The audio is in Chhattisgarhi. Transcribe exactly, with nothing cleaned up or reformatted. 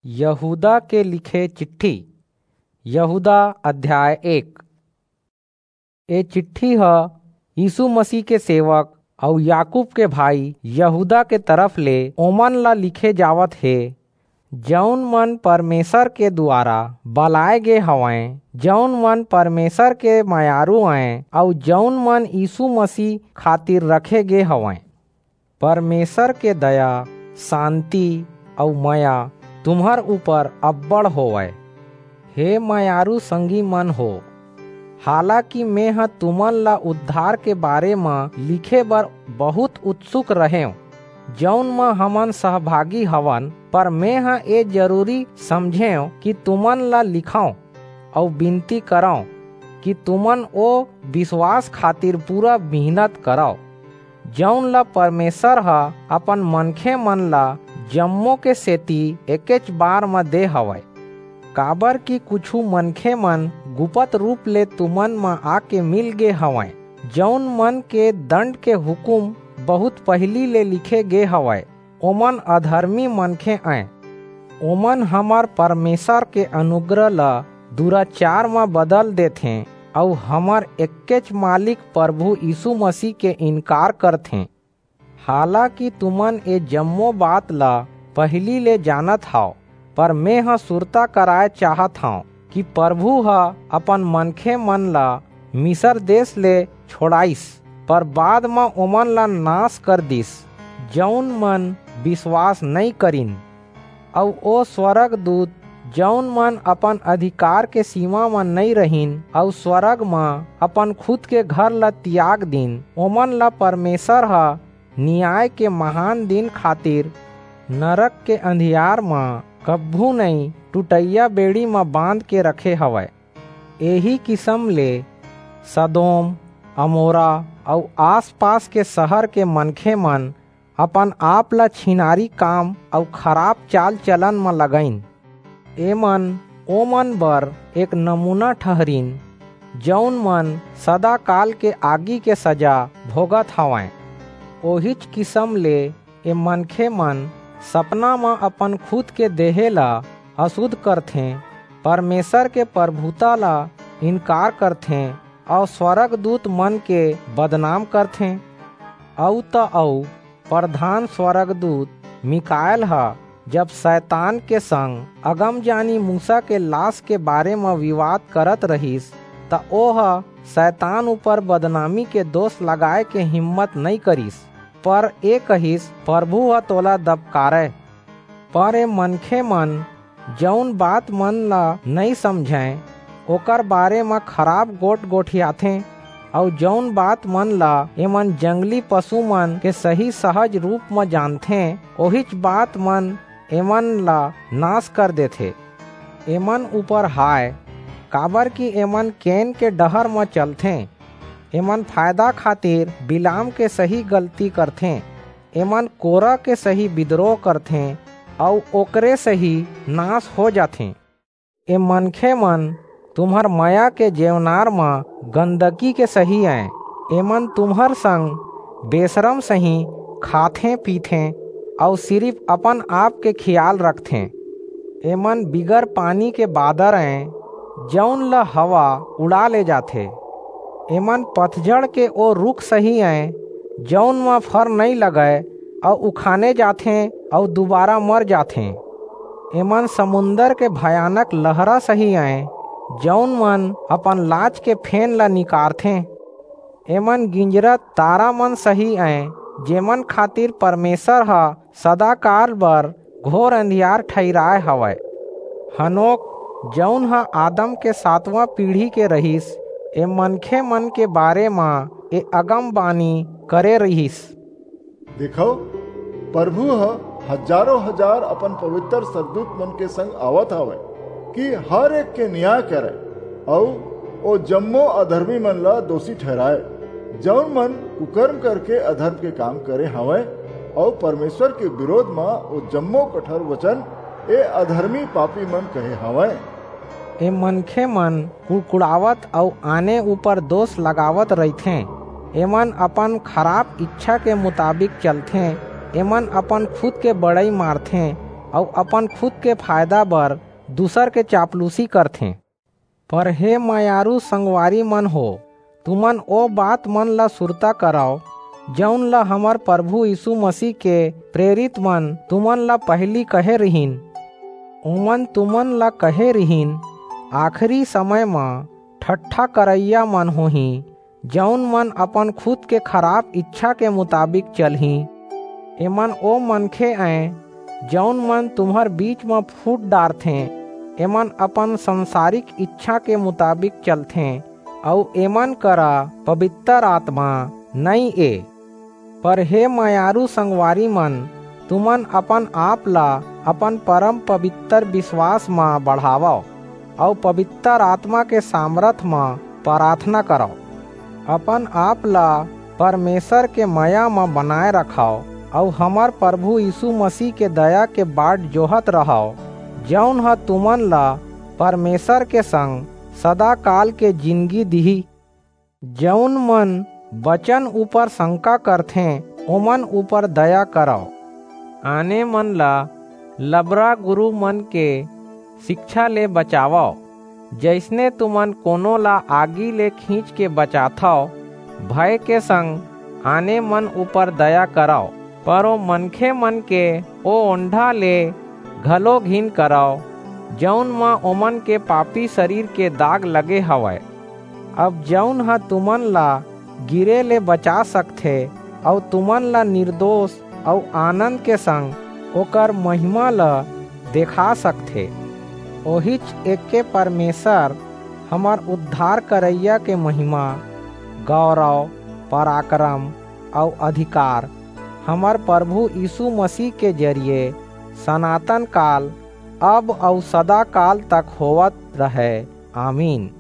यहूदा के लिखे चिट्ठी। यहूदा अध्याय एक। ए चिट्ठी ह यीशु मसीह के सेवक अऊ याकूब के भाई यहूदा के तरफ ले ओमन ला लिखे जावत हे, जऊन मन परमेसर के दुवारा बलाय गे हवंय, जऊन मन परमेसर के मयारू अंय, अऊ जऊन मन यीशु मसीह खातिर रखे गे हवंय। परमेसर के दया, सांति अऊ मया तुम्हर ऊपर अब्बड़ होवय। हे मयारू संगी मन हो, हालाकि मेंह तुमन ला उद्धार के बारे म लिखे बर बहुंत उत्सुक रहेंव, जऊन म हमन सहभागी हवन, पर मेंह ए जरूरी समझेंव कि तुमन ला लिखंव अऊ बिनती करंव कि तुमन ओ बिसवास खातिर पूरा मिहनत करव, जऊन ला परमेसर ह अपन मनखेमन ला जम्मो के सेति एकेच बार म दे हवय। काबरकि कुछू मनखेमन गुपत रूप ले तुमन म आके मिल गे हवंय, जऊन मन के दंड के हुकूम बहुंत पहिली ले लिखे गे हवय, ओमन अधरमी मनखे अंय। ओमन हमर परमेसर के अनुग्रह ल दुराचार म बदल देथें अऊ हमर एक्केच मालिक परभू यीसू मसीह के इनकार करथें। हालाकि तुमन ए जम्मो बात ल पहिली ले जानत हव, पर मेंह सुरता कराय चाहत हंव कि परभू ह अपन मनखेमन ल मिसर देस ले छोंड़ाईस, पर बाद म ओमन ला नास कर दीस, जऊन मन बिसवास नइं करिन। अऊ ओ स्वरगदूत, जऊन मन अपन अधिकार के सीमा म नइं रहिन अऊ स्वरग म अपन खुद के घर ला तियाग दीन, ओमन ला परमेसर ह नियाय के महान दिन खातिर नरक के अंधियार म कभू नइं टूटइया बेड़ी म बांध के रखे हवय। एही किसम ले सदोम, अमोरा अऊ आस-पास के सहर के मनखेमन अपन-आप ला छिनारी काम अऊ खराप चाल-चलन म लगाईन। एमन ओमन बर एक नमूना ठहरिन, जऊन मन सदाकाल के आगी के सजा भोगत हवंय। ओहीच किसम ले ए मनखेमन सपना म अपन खुद के देहे ला असुध करथें, परमेसर के परभूता ला इनकार करथें अऊ स्वरगदूतमन के बदनाम करथें। अऊ त अऊ परधान स्वरगदूत मीकाएल ह जब सैतान के संग अगमजानी मूसा के लास के बारे म बिवाद करत रिहिस, त ओह सैतान ऊपर बदनामी के दोस लगाय के हिम्मत नइं करिस, पर ए कहिस, "परभू ह तोला दबकारय।" पर ए मनखेमन जऊन बातमन ला नइं समझंय, ओकर बारे म खराप गोठ गोठियाथें, अऊ जऊन बातमन ला एमन जंगली पसुमन के सही सहज रूप म जानथें, ओहीच बातमन एमन ला नास कर देथे। एमन ऊपर हाय, काबरकि एमन केन के डहर म चलथें। एमन फायदा खातिर बिलाम के सही गलती करथें। एमन कोरा के सही बिदरोह करथें अऊ ओकरे सही नास हो जाथें। ए मनखेमन तुम्हर मया के जेवनार म गंदगी के सही अंय। एमन तुम्हर संग बेसरम सही खाथें-पीथें अऊ सिरिप अपन-आप के खियाल रखथें। एमन बिगर पानी के बादर अंय, जऊन ल हवा उड़ा ले जाथे। एमन पतझड़ के ओ रूख सही अंय, जऊन म फर नइं लगय अऊ उखाने जाथें अऊ दुबारा मर जाथें। एमन समुंदर के भयानक लहरा सही अंय, जऊन मन अपन लाज के फेन ला निकारथें। एमन गिंजरत तारामन सही अंय, जेमन खातिर परमेसर ह सदाकाल बर घोर अंधियार ठहिराय हवय। हनोक, जऊन ह आदम के सातवां पीढ़ी के रिहिस, ए मनखेमन के बारे म ए अगमबानी करे रिहिस। देखव, परभू ह हजारों हजार अपन पबितर स्वरगदूतमन के संग आवत हवय कि हर एक के नियाय करय अऊ ओ जम्मो अधरमीमन ला दोसी ठहिराय, जऊन मन कुकरम करके अधरम के काम करे हवंय अऊ परमेसर के बिरोध म ओ जम्मो कठोर बचन ए अधरमी पापीमन कहे हवंय। ए मनखेमन कुड़कुड़ावत अऊ आने ऊपर दोस लगावत रहिथें। एमन अपन खराप इच्छा के मुताबिक चलथें। एमन अपन खुद के बड़ई मारथें। अऊ अपन खुद के फायदा बर दूसर के चापलूसी करथें। पर हे मयारू संगवारी मन हो, तुमन ओ बात मन ला सुरता करव, जऊन ला हमर प्रभु यीशु मसीह के प्रेरित मन तुमन ला पहिली कहे रिहिन। ओमन तुमन ला कहे रिहिन, आखिरी समय म ठट्ठा करइया मन होही, जऊन मन अपन खुद के खराब इच्छा के मुताबिक चलही। एमन ओ मनखे अंय, जऊन मन तुम्हर बीच म फूट डारथें। एमन अपन संसारिक इच्छा के मुताबिक चलथें, अऊ एमन करा पवित्र आत्मा नइं ए। पर हे मयारू संगवारी मन, तुमन अपन आप ला अपन परम पवित्र विश्वास म बढ़ावव, अऊ पवित्र आत्मा के सामरथ म प्रार्थना करव। अपन आप ला परमेसर के मया म बनाए रखव, अऊ हमर प्रभु यीशु मसीह के दया के बाट जोहत रहव, जऊन ह तुमन ला परमेसर के संग सदाकाल के जिनगी दिही। जऊन मन बचन ऊपर संका करथें, ओमन ऊपर दया करव। आने मन ला लबरा गुरू मन के सिकछा ले बचावव, जइसने तुमन कोनो ला आगी ले खींच के बचाथव, भय के संग आने मन ऊपर दया करव। पर ओ मनखे मन के ओ ओंढा ले घलो घिन करव, जऊन म ओमन के पापी सरीर के दाग लगे हवय। अब जऊन ह तुमन ला गिरे ले बचा सकथे, अऊ तुमन ला निरदोस अऊ आनंद के संग ओकर महिमा ला देखा सकथे, ओहीच एके परमेसर, हमर उद्धार करइया के महिमा, गौरव, पराकरम अऊ अधिकार हमर प्रभु यीशु मसीह के जरिये सनातन काल, अब अऊ सदाकाल तक होवत रहय। आमीन।